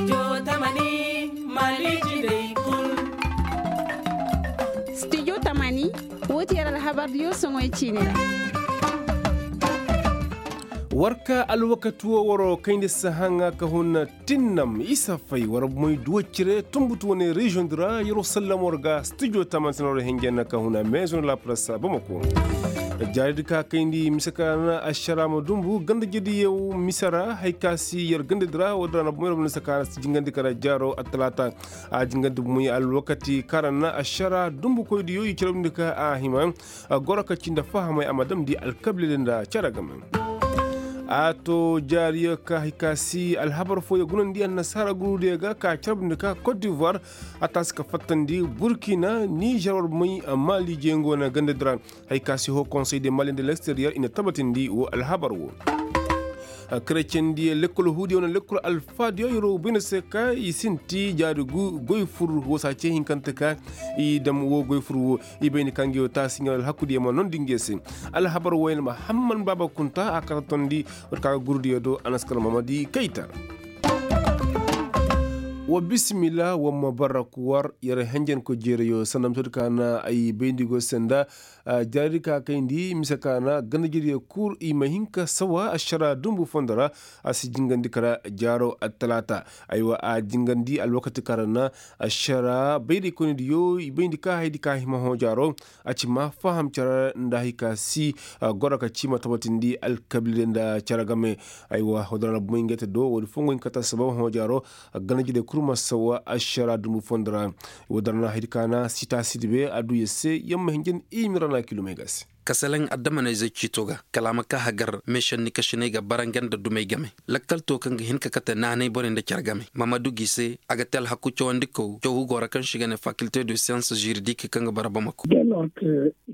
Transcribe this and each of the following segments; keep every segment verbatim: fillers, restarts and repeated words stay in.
Studio tamani, woo ti yer alhabar diyo soŋoy ciini ra. War ka alwakati woo waroo kayndi sahaŋa ka hun tinnam isa fay war moy duwa cire tunbutu wane reziyoŋ di ra yeroo sallama war ga studio tamani sina war henjen na ka hun a meezoŋ la press bamako. Jaari di ka kayndi mise ka na ašara ma dumbu ganda jediyo mise ra hari ka si yer ganda di ra woo di ra na bomo yer ma mise ka na si jingandi kara jaaro attalaata. A jingandi bomo alwakati kaŋ ra na ašara dumbukoy diyo i carabndi ka a hima goro ka cindi fahamay a ma damndi alkabiila nda cere game. A to jaariyo ka hari ka si alhabar fooyo gunandi annasaara gurudiyo ga ka carabndi ka kot divoir a taasi ka fattandi burkina nizer war may maali jeŋo na ganda di ra. Hari ka si ho konsey de mali nda leksteriyer i na tabatindi woo alhabar woo. Kerecendiyo lekkol huudiyo wane lekkol alfaadiyo yeroo bayna se ka i sinti jaari goy fur woo se a cee hinkante ka i dam woo goy fur woo. I bayndi ka nga yoo taasi nga alhakudiyo ma nondi nga se. Alhabar woo yaŋ ma hamman baaba kunta a kata tondi war ka ga gurudiyo do a na si kala mamadi kayta. Wa bisimila wa ma bara kuwar yer henjenko jeerayo sanda misodi ka na ay bayndi go senda. Jaari ka kayndi mise ka na ganda jeeriyo kul i ma hin ka sawa ašara dumbu fondo ra. A si jingandi kara jaaro attalaata. Aywa a jingandi alwakati ka ra na ašara bayraykoynidiyo i bayndi ka haydi ka hima hõ jaaro. A ci ma faham care nda hari ka si goro ka ci ma tabatindi alkabiila nda care game. Aywa hodora na bumay ngey te do woodi fo ngo hin ka ta sabab hõ jaaro. Ganda jeeriyo kul ma sawa ašara dumbu fondo ra. Woo dara na haydi ka na sita sidi be a du yer se yer ma hinjan i mira na kilomey ga se. Kasalaŋ addamanayzey ciito ga kala a ma ka hagar meešandi kasiney ga bara nga nda dumey game. Lakkal to kaŋ ga hin ka kate naanay borey nda care game ma ma du gi se. A ga te alhaku cawandikaw cawhu go ra kaŋ se i ga ne fakilte de siyans žiridik kaŋ ga bara bamako.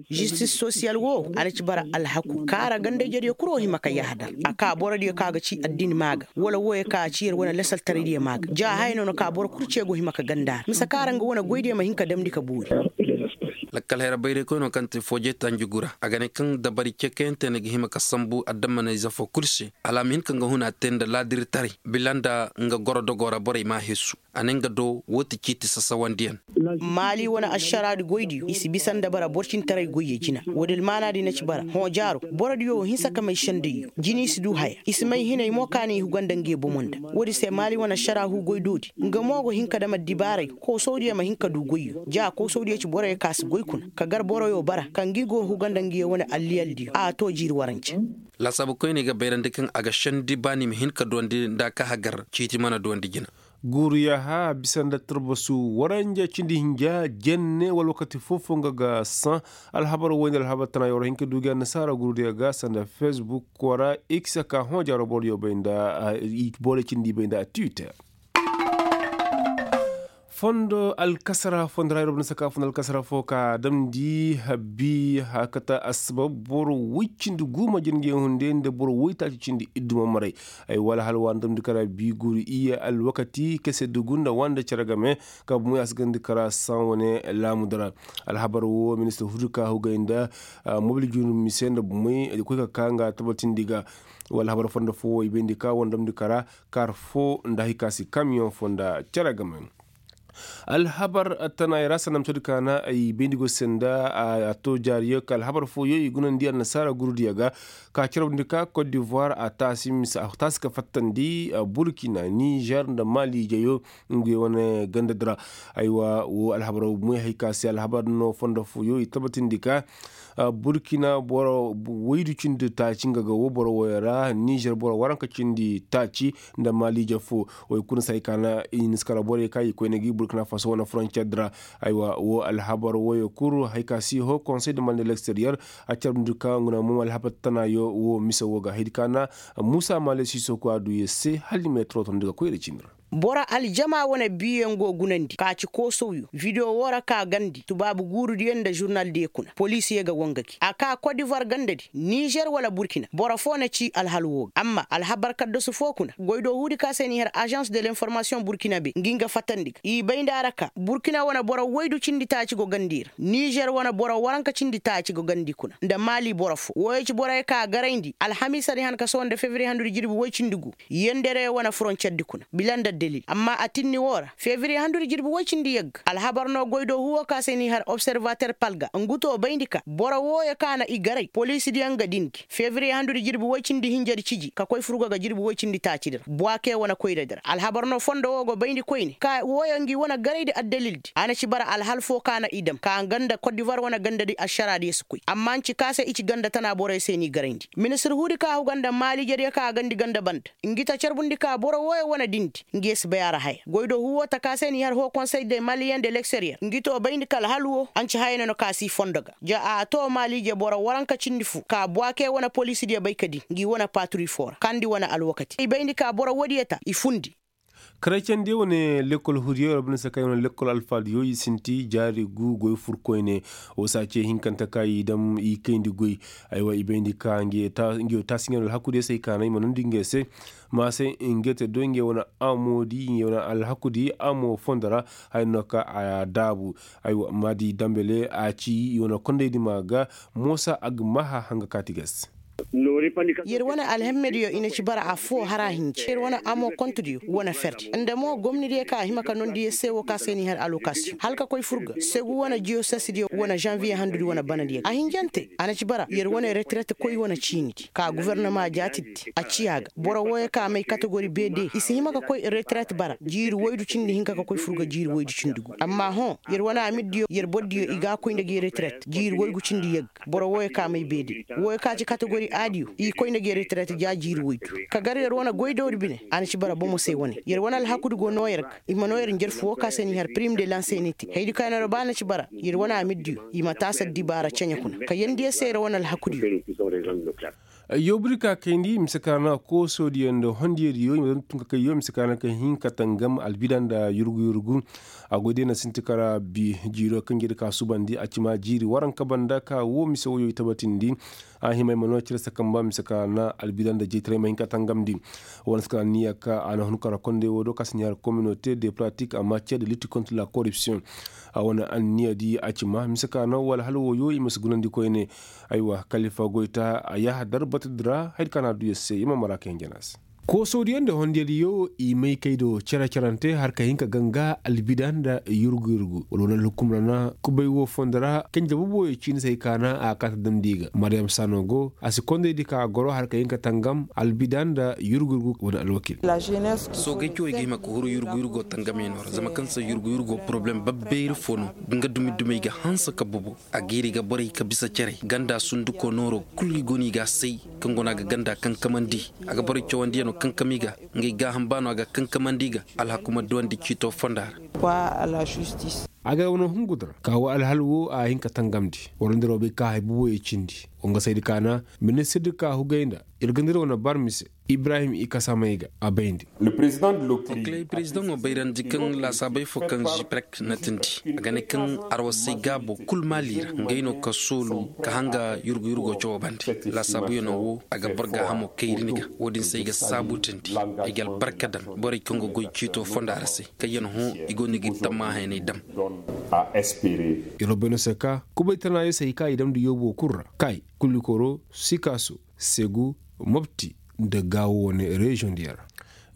Žistis sosiyal wo a na ci bara alhaku kaara gandayjediyo kul wo hima ka yahadar a ka borodiyo kaŋ a ga ci addini maa ga wala wooyo kaŋ a ci yer wane lasaltaraydiyo maa ga ja haya no na ka boro kul ce go hima ka ganda ra mise kaara nga wane goydiyo ma hin ka damndi ka boori. Lakkal hayra bayraykoyno kaŋ te fooje tanjugura a ga ne kaŋ dabari cekayante na ga hima ka sambu adammanayze foo kul se hala a ma hin ka nga huna te nda laadiritaray bila nda nga gorodogo ra borey m'a hesu. A ne nga do woo ti ciiti sasawandiyaŋ. Maali wane ašaraadi goydiyo i si bisa nda bara boro cintaray goyyo jina woodi almaanaadi na ci bara hõ jaaro. Borodiyo wo hinsa ka may sendayyo jini si du haya i si may hinay mo ka na i huga nda ngey bomo nda. Woodi se maali wane ašara huugoy doodi nga mo go hin ka dam addibaaray koosawdiyo ma hin ka du goyyo ja koosawdiyo ci boroyo ka si goy kuna ka gar boroyo bara ka ngi go huga nda ngiyo wane alliyaldiyo a to jiiri warance. Laasaabu koyney ga bayrandi kaŋ a ga sendi baani ma hin ka duwandi nda a ka hagar ciiti mana duwandi jina. Guuru yaaha bisa nda tarbasu waranja cindi hinja jenne wala wakati foo-foo nga ga saŋ. Alhabar woy nda alhabar tana yoo ra hin ka du gi annasaara guurudiyo ga sanda fesbuk wara x ka hõ jaaro boro diyo bay nda boro cindi bay nda twitter. Fondo alkasara fondo ra yer wo banda saka fondo alkasara foo ka damndi habbi hakata assabab boro woy cindi guuma jin ga yaŋ hunde nda boro woy taaci cindi iddu ma maray. Ay wala hala wa na damndi kara bi guuru iyye alwakati kese dugu nda wande cere game. Ka bumey a si gandi kara saŋ wane laamuda ra. Alhabar wo ministir hudu ka hugay nda mobil junu mise nda bumey koy ka ka nga tabatindi ga. Wala habar fondo foo wo i bayndi ka wane damndi kara kaar foo nda hari ka si kamiyoŋ foo nda cere game. Alhabar tanaayey ra sanda misodi ka na ay bayndi go se nda a to jaariyo ka alhabar fooyo i gunandi annasaara gurudiyo ga. Ka carabndi ka kot divoir a taasi ka fattandi burkina nizer nda mali ijeyo. Nguyo wane ganda di ra. Aywa woo alhabar moy hari ka se alhabar no fondo fooyo i tabatindi ka burkina boro woydu cindi taaci nga ga woo boro woyo ra nizer boro waranka cindi taaci nda mali ije foo. Woy kuna se hari ka na i na si kara borey ka i koyne gi burkina faso wane foroncer di ra. Aywa woo alhabar woyo kul hari ka si ho konsey de mali nda leksteriyer a carabndi ka ngu na mo alhabar tanayo woo mise woo ga hari ka na muusa male siso ku a du yer se hala ni ma yer torotondi ga koy yer cindi ra. Boro aljama wane biiyaŋ go gunandi ka ci koosawyo video woo ra ka gandi tubaabu guurudiyo nda žurnaldiyo kuna poliisiyo ga wangaki a ka kot divoir gandadi nizer wala burkina boro foo na ci alhal woo ga amma alhabar kaddasu foo kuna goydoo huudi ka se n'i har ažans de l'informasiyoŋ burkina be ngi nga fatandi ga i bay nda a ra ka burkina wane boro woydu cindi taaci go gandi ra nizer wane boro waranka cindi taaci go gandi kuna nda mali boro foo wooyo ci boroyo ka garayndi alhamiisadi han ka sohõ nda fevriye handudi jirbi woy cindi gu yendere wane foroncerdi kuna bila nda Amma a tinni woo ra febriye handudi jirbi woy cindi yagga alhabar no goy do huwo ka se n'i har observater palga ngu to bayndi ka boro wooyo ka na i garay poliisidiyaŋ ga dindi febriye handudi jirbi woy cindi hinjadi ciji ka koy furgo ga jirbi woy cindi taacidi ra buwake wane koyradi ra alhabar no fondo woo go bayndi koyne ka wooyo ngi wane garaydi addalildi a na ci bara alhal foo ka na i dam ka nga nda kot divuwar wane gandadi ašaraadiyo si koy amma nci ka se i ci ganda tana boroyo se n'i garayndi ministir huudi ka huga nda maaliijediyo ka a gandi ganda banda ngi ta carbundi ka boro wooyo wane dindi ngi ye si bay a ra haya goy do huwo taka se n'i har hoo konsey de maliyen de lekseriyer ngi to bayndi ka alhal woo anci haya no na ka si fondo ga ja a too maaliije boro waranka cindi fu ka buwake wane poliisidiyo bay ka di ngi wane paaturi foo ra kandi wane alwakati i bayndi ka boro woodiyo ta i fundi. Karecendiyo wane lekkol hudiyo rabbi na se kay wane lekkol alfaadiyo i sinti jaari gu goy fur koyne. Woo se a ce hinkante ka i dam i kayndi goy. Aywa i bayndi ka nge ta nge taasi nge wane alhakudiyo se ay kaana i ma nondi nge se. Ma se nge te do nge wane amoodi nge wane alhakudi amo fondo ra. Haya no ka a daabu. Aywa maadi dambele a ci i wane kondaydi ma ga. Moosa a ga maaha hanga kaati ga se. Yer wane alhemmediyo i na ci bara affoo har a hinja yer wane amo kontediyo wane ferdi nda mo gomnadiyo ka a hima ka nondi yer se woo ka se n'i har alokasiyoŋ hala ka koy fur ga segu wane jiyosesdiyo wane žanviye handudi wane banadiyo ga a hinjante a na ci bara yer wane retiret koy wane ciinidi ka gofornoma jaatidi a ciya ga boro wooyo ka may kategori bede i si hima ka koy retiret bara jiiri woydu cindi hinka ka koy fur ga jiiri woydu cindi gu amma hõ yer wane amirdiyo yer bordiyo i ga a koy nda gi retiret jiiri woygu cindi yagga boro wooyo ka may beede wooyo ka ci kategori aadiyo i koy nda gi retiret ja jiiri woydu ka gar yer wane goydawdi bine a na ci bara bomo se wane yer wane alhakudi go noo yer ga i ma noo yer njarfu woo ka se n'i har pirim de lanse ni te haydi ka yer noo ba na ci bara yer wane amirdiyo i ma taasa dibaara ceɲe kuna ka yeendi yer se yer wane alhakudiyo. Yoobudi ka kayndi mise ka ra na koosoodiyo nda hondiyadiyo i ma daŋ tun ka kay yoo mise ka ra na ka hin ka tangam albida nda yurgu yurgu. A goy day na sinti ka ra bi jiiro kaŋ jiri ka subandi a ci ma jiiri waranka banda ka woo mise woyoo i tabatindi. A hima i ma noo cire sakamba mise ka ra na albida nda jeytaray ma hin ka tangamndi. Wane si ka ra niya ka a na hun ka ra konday woo do ka si niya ra kominote de pratik a matiyer de litti kontra la koripsiyoŋ. A wane anniya di a ci ma mise ka ra na wala hala woyoo i ma si gunandi koyne. Aywa kalifa goyta a yaaha dar batadi ra haydi ka na a du yer se i ma mara ka hin jana se. Koosoodiyo nda hondiyadiyo i may kay do cere cerante har ka hin ka ganga albida nda yurgu yurgu wala wane alhukum ra na kubay woo fondo ra kanje boboyo ciini se hay ka na a kaata damndi ga mariyam saano go a si kondaydi ka a goro har ka hin ka tangam albida nda yurgu yurgu wane alwakil. Soogey cawey ga hima ka huru yurgu yurgo tangamyaŋo ra zama kaŋ se yurgu yurgo poroblem babbayri fo no. Nga dumi dumey ga hanse ka bubu a ga hiri ga borey ka bisa carey ganda sunduko nooro kul i go no i ga a say kaŋ go no a ga ganda kankamandi a ga borey cawandiyano kankam i ga ngey gaaham ba no a ga kankamandi i ga alhakuma duwandi ciito fonda ra. A ga wane hungu dira ka wo alhal wo a hin ka tangamndi wala nda robey ka hay buboyey cindi. Wo nga saydi ka na ministirdi ka hugay nda ir ga nda ir wane barmi se ibrahim i kasa may ga a bayndi. Okilay perezidaŋo bayrandi kaŋ laasaabey fo kaŋ ziprek na tindi a ga ne kaŋ arwasay gaabo kul maali ra ngey no ka soolu ka hanga yurgu yurgo cawo bande. Laasaabuyaŋo wo a ga boro gaahamo kayri ni ga wo-din se ay ga saabu tindi ay ga albarka daŋ borey kaŋ ga goy ciito fonda ra se kaŋ yaŋ hõ i go no ga ir tammahayaney daŋ. Iro bayno se ka kubay tana yo se hay ka i damndi yoobo kul ra kay kulikoro sikaso segu mopti nda gaawo wane reziyoŋ diyaŋ ra.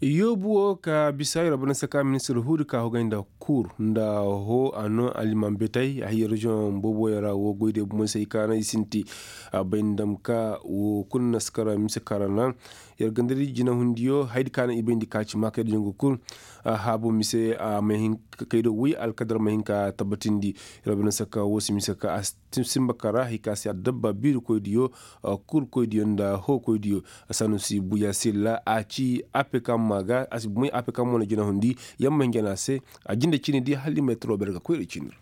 Yoobu wo ka bisa yer bana saka ministir huudi ka hogay nda kur nda ho a no aliman betay a hiya reziyoŋ booboyaŋ ra wo goy day bumo se i kaana i sinti. A bay nda dam ka wo kulu na si kara mise kara naŋ yer ganda di jinahundiyo haydi kaana i bay nda ka ci maakay da jangu kul. Haabu mise a ma hin ka kay do woy alkadar ma hin ka tabbatindi. Yer bana saka wo si mise ka a simba kara hay ka se adabba biirikoydiyo kurkoydiyo nda hookoydiyo. Sanusi buya silla a ci apekam ma ga a si bumay apekam mo na jinahundi. Yamma hinjana se a jinde cini di hala i ma yataro ber ga koyra cini ra.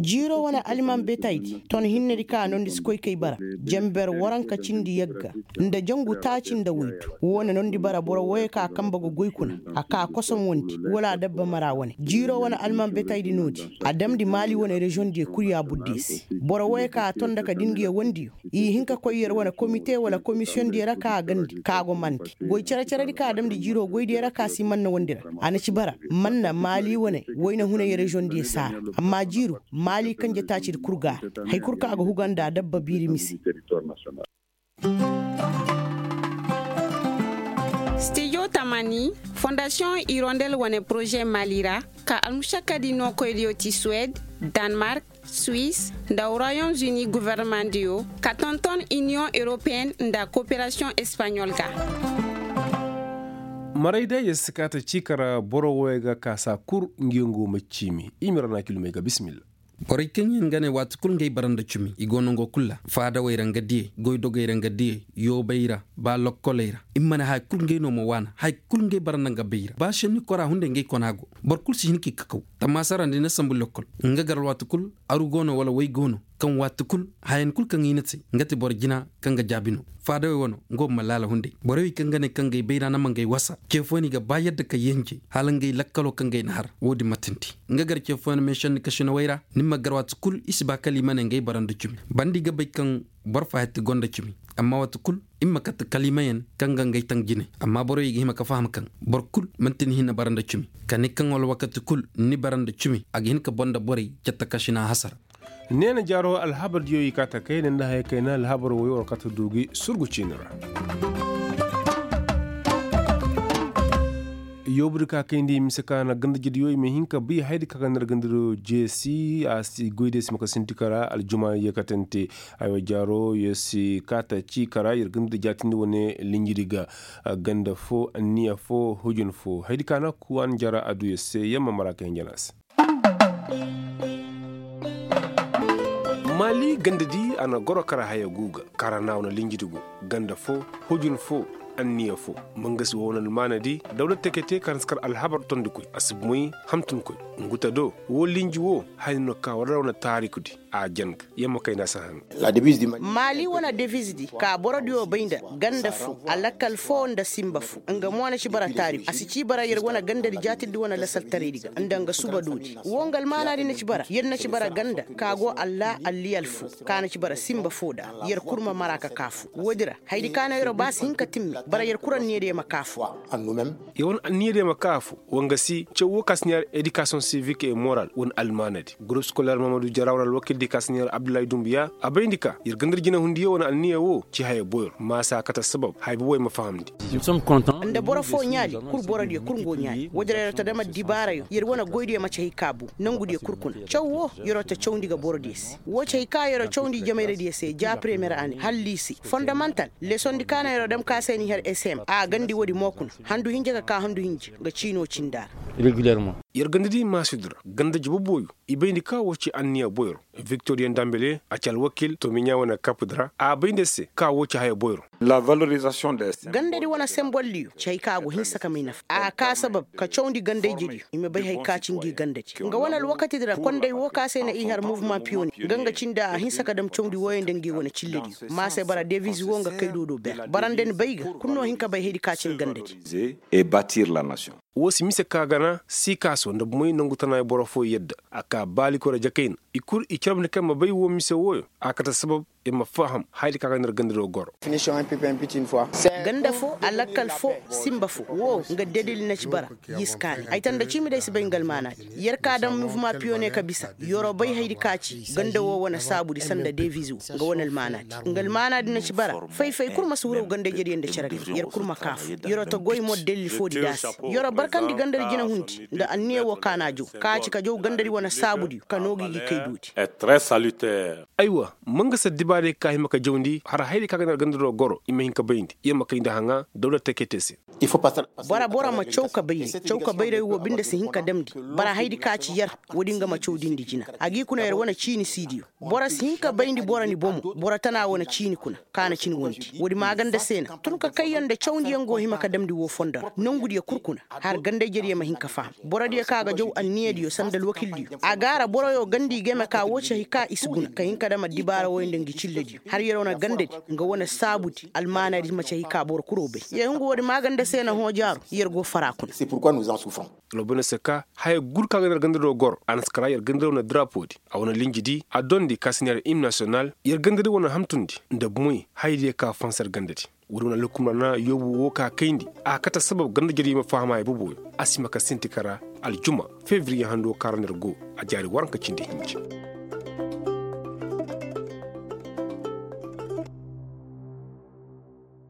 Jiiro wane alman betaydi ton hinnedi ka a nondi si koy kay bara. Janber waranka cindi yagga nda jangu taaci nda woydu. Wo na nondi bara boro woyo ka kamba ga goy kuna a ka kosom wondi wala a dabba mara wane jiiro wane alman betaydi noodi. A damndi maali wane reziyoŋ diyo kul ya budde se. Boro woyo ka a ton nda ka din ga ya wondi yo i hin ka koy yer wane komite wala komisiyoŋ diyo ra ka a gandi ka a go mandi goy cere-ceredi ka a damndi jiiro goy diyo ra ka si manna wondi ra. A na ci bara manna maali wane wayna hunay reziyoŋ diyo saara. Amma jiiro maali kanje taacidi kul ga a ra. Hay kul ka a ga huga nda a dabba biiri mise. Stijo tamani. Fondasiyoŋ irondel wane poroze mali ra, ka almušakadi nookoydiyo ti suwed, danmark, suwis, nda royaume-uni gofornomandiyo, ka tonton iniyoŋ europeyenne nda koperasiyoŋ espaɲol ga. Maray day yer si kaata ciika ra boro wooyo ga kaasa kul ngiyo nga wo ma ciimi i ma ra na kilomey ga bisimilla. Borey kaŋ yaŋ ga ne waati kul ngey bara nda cumi i go nongo kul ra, faadawey ra nga diyey, goydogey ra nga diyey, yoobey ra, ba lokkoley ra. I ma ne haya kul ngey no ma waana haya kul ngey bara nda nga bay ra ba senni kora hunday ngey kona go. Boro kul si hin k'i kakaw. Tammaasa ra nda i na sambu lokkol, nga gar waati kul, aru go no wala way go no, kaŋ waati kul, hayan kul kaŋ i na te, nga ti boro jina kaŋ ga jaabi no. Faadawey wano, nga wo ma laala hunday borey wey kaŋ ga ne kaŋ ga ay bayra na ma nga ay wasa, ce fooyaŋ i ga ba yadda ka yenje, hala nga ay lakkalo kaŋ ga ay na har. Wo-din ma tindi, nga gar ce fooyaŋ meesanni kasinawey ra. Ni ma gar waati kul i si ba kala i ma ne nga ay bara nda cumi. Banda i ga bay kaŋ boro fahatti go nda cumi. Amma waati kul, i ma kate kala i ma yaŋ kaŋ ga nga ay taŋ jine. Amma borey i ga hima ka faham kaŋ boro kul man'ti ni hinne bara nda cumi. Kala ni kaŋ wala wakati kul ni bara nda cumi a ga hin ka boro nda borey catta kasina hasara. Neena jaaro alhabar diyo i kaa ta kayna nda haya kayna alhabar woyo war kaa ta du gi surgu ciini ra. Yoobudi ka kayndi mise ka na ganda jediyo i ma hin ka bay haydi ka ga nir ganda diyo jeesi a si goydi si ma ka sinti ka ra aljuma ye ka tante. Aywa jaaro ye si kaa ta cii ka ra yer ganda diyo jaatindi wane linjidi ga ganda fo anniya fo hujun fo haydi ka na kuwan jara adduya se yer ma mara ka hinja na se. Maali ganda di a na goro kara haya guuga kara na wane linji di go ganda fo hujun fo anniya fo. Mangasi wo wane almaana di dawla tekete kara si kar alhabar tondikoy a si bomoy hamtunkoy. Ngu ta do wo linji wo haya no ka war ra wane taariku di a jan ga yamma kayna si haŋ. Maali wane deviz di ka borodiyo bay nda ganda fo alakkal fo nda simba fo. Nga mo na ci bara taariku a si ci bara yer wane ganda di jaatindi wane lasaltaray di ga nda nga suba doodi wo nga almaana di na ci bara yer na ci bara ganda ka go alla alliyal fo ka na ci bara simba fo da yer kul ma mara ka kaa fo. Woodi ra haydi ka no yer ba si hin ka timmi bara yer kul anniya diyo ma kaa fo. Yer wane anniya diyo ma kaa fo. Wanga si caw wo ka si neera edikasiyoŋ sivik e moral wane almaana di gurup skoler mamadu jara wane alwakil di ka si neera abdullahi dumbuya a bayndi ka yer ganda di jinahundiyo wane anniya wo ci haya boyro maasa kate sabab haya boboy ma fahamndi. Nda boro fo ɲaali kul borodiyo kul ngo ɲaali woodin ra yer ta dam addibaarayo yer wane goydiyo ma ci hay ka bu. Nongudiyo kul kuna caw wo yer ta cawndi ga borodiyo se wo ci hay ka yer cawndi jamayradiyo se ja premiyer ane hala liisi fondamantal. Lesondi ka no yer dam ka se ni har sm a gandi woodi mo kuna handu hinja ka ka handu hinja nga ciino cinda ra. Yer ganda di maasudi ra ganda jababooyo i bayndi ka wo ci anniya boyro. Viktoriya ndambele a ci alwakil tomiɲa wane kapudi ra a bayndi se ka wo ci haya boyro. Gandadi wane semboldiyo ci hay ka go hinsa ka may nafa a ka sabab ka cawndi gandayjediyo i ma bay hay ka ci ngi gandadi nga wane alwakatidi ra konday wo ka se na i har muvuma piyone. Nga nga cindi a hinsa ka dam cawndi wooyo nda ngi wane cillediyo ma se bara deviz wo nga kay do do ber bara nda ni bay ga kul no hin ka bay haydi ka ci ni gandadi. Woo si mise ka gana siikaaso nda bomoy nangu tanaay boro fooyo yadda a kaa baalikoy ra jakayna. I kul i carabndi kaŋ ma bay woo mise wooyo a kate sabab ir ma faham hayadi ka ga nda ir gandado goro. Ganda foo alakkal foo simba foo woo nga dedil na ci bara. Y'i si kaani ay tanda ciimi day si bay nga almaanaadi. Yer ka daŋ muvuma piyone ka bisa yer'o bay hayadi ka ci ganda woo wane saabudi sanda deviz woo nga wane almaanaadi. Nga almaanaadi na ci bara fay-fay kul ma si huru ganda ijediyo nda cere ga yer kul ma kaa foo. Yer'o ta goy mo delil foodi da a se. Yer'o barkandi gandadi jinahundi nda anniya woo ka n'a jaw ka ci ka jaw gandadi wane saabudiyo ka noogi gi kay doodi. Aywa, ma nga si addibaarey ka hima ka jawndi har hayadi ka ga nda gandado goro i ma hin ka bayndi yer ma kayndi haŋa dawla tekete se. Bora bora ma caw ka bayray caw ka bayray woo binde si hin ka damndi. Bara hayadi ka ci yer woodi nga ma cawdindi jina a g'i kuna yer wane ciini siidiyo. Boro si hin ka bayndi boro ni bomo boro tana wane ciini kuna ka na cin wondi woodi maaganda se na tun ka kayyaŋ nda cawndiyaŋ go hima ka damndi woo fondo ra nongudiyo kul kuna. Har ganda ijediyo ma hin ka faham borodiyo ka ga jaw anniyadiyo sanda alwakildiyo a gaara boroyo ganda i game ka woo ci hay ka i si guna ka hin ka dam addibaara wooyo nda ngi cillediyo har yer wane gandadi nga wane saabudi almaanadi ma ci hay ka boro kuloo bay. Yer hungu woodi maaganda se na hõ jaaro yer go fara kuna. Lobone se ka haya gul ka ga nda yer gandado goro a na si kara yer gandado wane darapoodi a wane linjidi a dondi ka si neera im nasiyonal. Yer gandadi wane hamtundi nda bomoy hayadiyo ka fansa yer gandadi. Woodi wane alhukum ra na yoobu woo ka kayndi a kate sabab ganda ijediyo ma faham a iboboyo. A si hima ka sinti kara aljuma fevriye hando ka ra nda yer go a jaari waranka cindi hinja.